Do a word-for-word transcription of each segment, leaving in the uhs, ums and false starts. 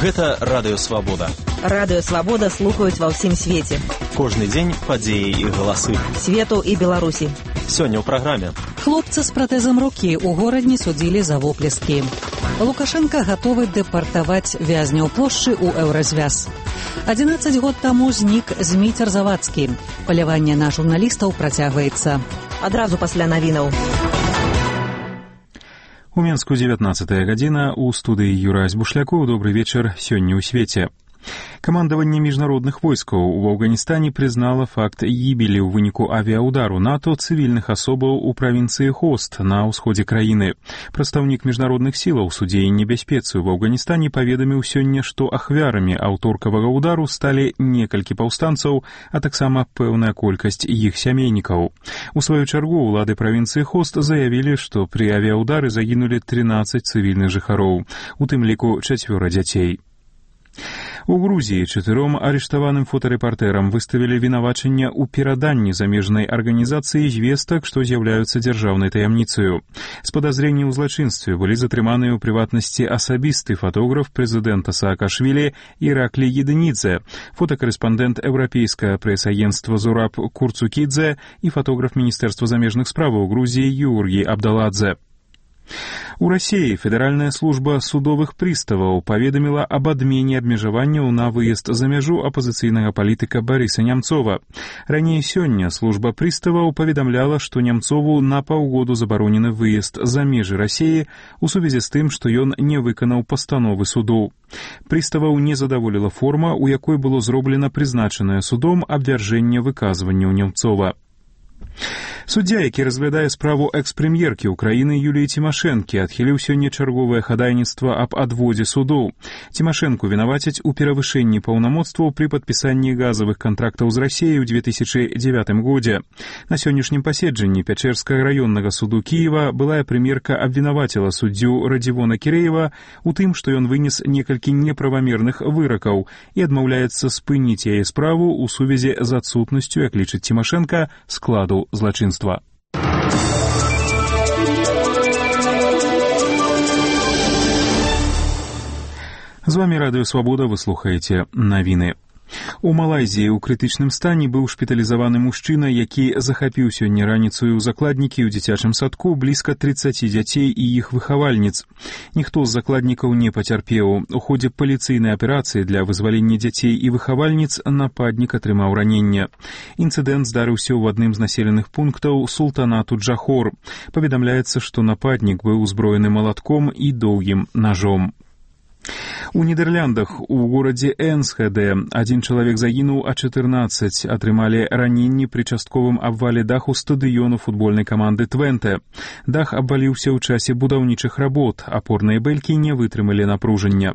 Гэта Радыё Свабода. Радыё Свабода слухаюць ва ўсім свеце. Кожны дзень падзеі і галасы. Свету і Беларусі. Сёння ў праграме. Хлопца з пратэзам рукі ў горадні судзілі за воплескі. Лукашенко гатовы дэпартаваць вязняў плошчы ў Еўразвяз. адзінаццаць год таму знік Зміцер Завадскі. Паляванне на журналістаў працягваецца. Адразу пасля навінаў. У Менску дзевятнаццатая гадзіна, у студыі Юрась Бушлякоў. Добры вечар, сёння ў свеце. Камандаванне міжнародных войскаў у Афганістане прызнала факт гібелі ў выніку авіаудару НАТО цывільных асобаў у правінцыі Хост на ўсходзе краіны. Прадстаўнік міжнародных сілаў суддзей небяспецы ў Афганістане паведаміў сёння, што ахвярамі аўторкавага ўдару сталі некалькі паўстанцаў, а таксама пэўная колькасць іх сямейнікаў. У сваю чаргу ўлады правінцыі Хост заявілі, што пры авіаудары загінулі трынаццаць цывільных жыхароў, у тым ліку чацвёра дзяцей. У Грузіі чатыром арыштаваным фотарэпартэрам выставілі вінавачанне ў пераданні замежнай арганізацыі звестак, што з'яўляюцца дзяржаўнай таямніцаю. З падазрэння ў злачынстве былі затрыманыя ў прыватнасці асабісты фотограф прэзідэнта Саакашвілі Іраклі Едынідзе, фотакарэспандэнт еўрапейскае прэс-агенцтва Зураб Курцукідзе і фотограф Міністэрства замежных справаў Грузіі Юргі Абдаладзе. У Расіі Федэральная служба судовых прыставаў паведаміла аб адмене абмежаванняў на выезд за мяжу апазіцыйнага палітыка Барыса Нямцова. Раней сёння служба прыставаў паведамляла, што Нямцову на паўгоду забаронены выезд за межы Расіі у сувязі з тым, што ён не выканаў пастановы суду. Прыставаў не задаволіла форма, у якой было зроблена прызначанае судом абвяржэнне выказванняў Нямцова. Суддзя, які разглядае справу экс-прэм'еркі ўкраіны Юліі Цімашэнкі, адхіліў сёння чарговае хадайніцтва аб адводзе судоў. Цімашэнку вінавацяць у перавышэнні паўнамоцтваў пры падпісанні газавых кантрактаў з Расіяй у две тысячы дзевятым годзе. На сённяшнім паседжанні Пячэрскага раённага суду Кіева былая прэм'ерка абвінаваціла суддзю Радзівона Кірэева у тым, што ён вынес некалькі неправамерных выракаў і адмаўляецца спыніць яе справу ў сувязі з адсутнасцю, як лічыць Цімашэнка, складу злачынства. З вамі Радыё Свабода, вы слухаеце навіны. У Малайзіі ў крытычным стане быў шпіталізаваны мужчына, які захапіў сёння раніцаю ў закладнікі ў дзіцячым садку блізка трыццаці дзяцей і іх выхавальніц. Ніхто з закладнікаў не пацярпеў. У ходзе паліцыйнай аперацыі для вызвалення дзяцей і выхавальніц нападнік атрымаў раненне. Інцыдэнт здарыўся ў адным з населеных пунктаў султанату Джахор. Паведамляецца, што нападнік быў узброены малатком і доўгім нажом. У Нідэрляндах у горадзе Энсхеде адзін чалавек загінуў, а чатырнаццаць атрымалі раненні пры частковым абвале даху стадыёну футбольнай каманды Твенте. Дах абваліўся ў часе будаўнічых работ, апорныя бэлькі не вытрымалі напружання.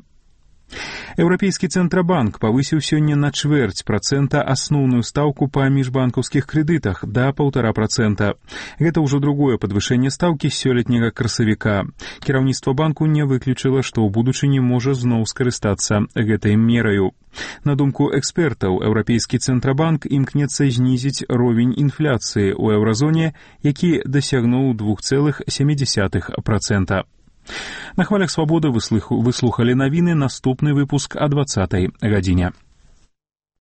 Еўрапейскі цэнтрабанк павысіў сёння на чвэрць працэнта асноўную стаўку па міжбанкаўскіх крэдытах да паўтара працэнта. Гэта ўжо другое падвышэнне стаўкі з сёлетняга красавіка. Кіраўніцтва банку не выключыла, што ў будучыні можа зноў скарыстацца гэтай мераю. На думку экспертаў, Еўрапейскі цэнтрабанк імкнецца знізіць ровень інфляцыі ў еўразоне, які дасягнуў два цэлых сем дзесятых працэнта. На хвалях Свабоды вы слухали навіны, наступны выпуск о двадцатай гадзіне.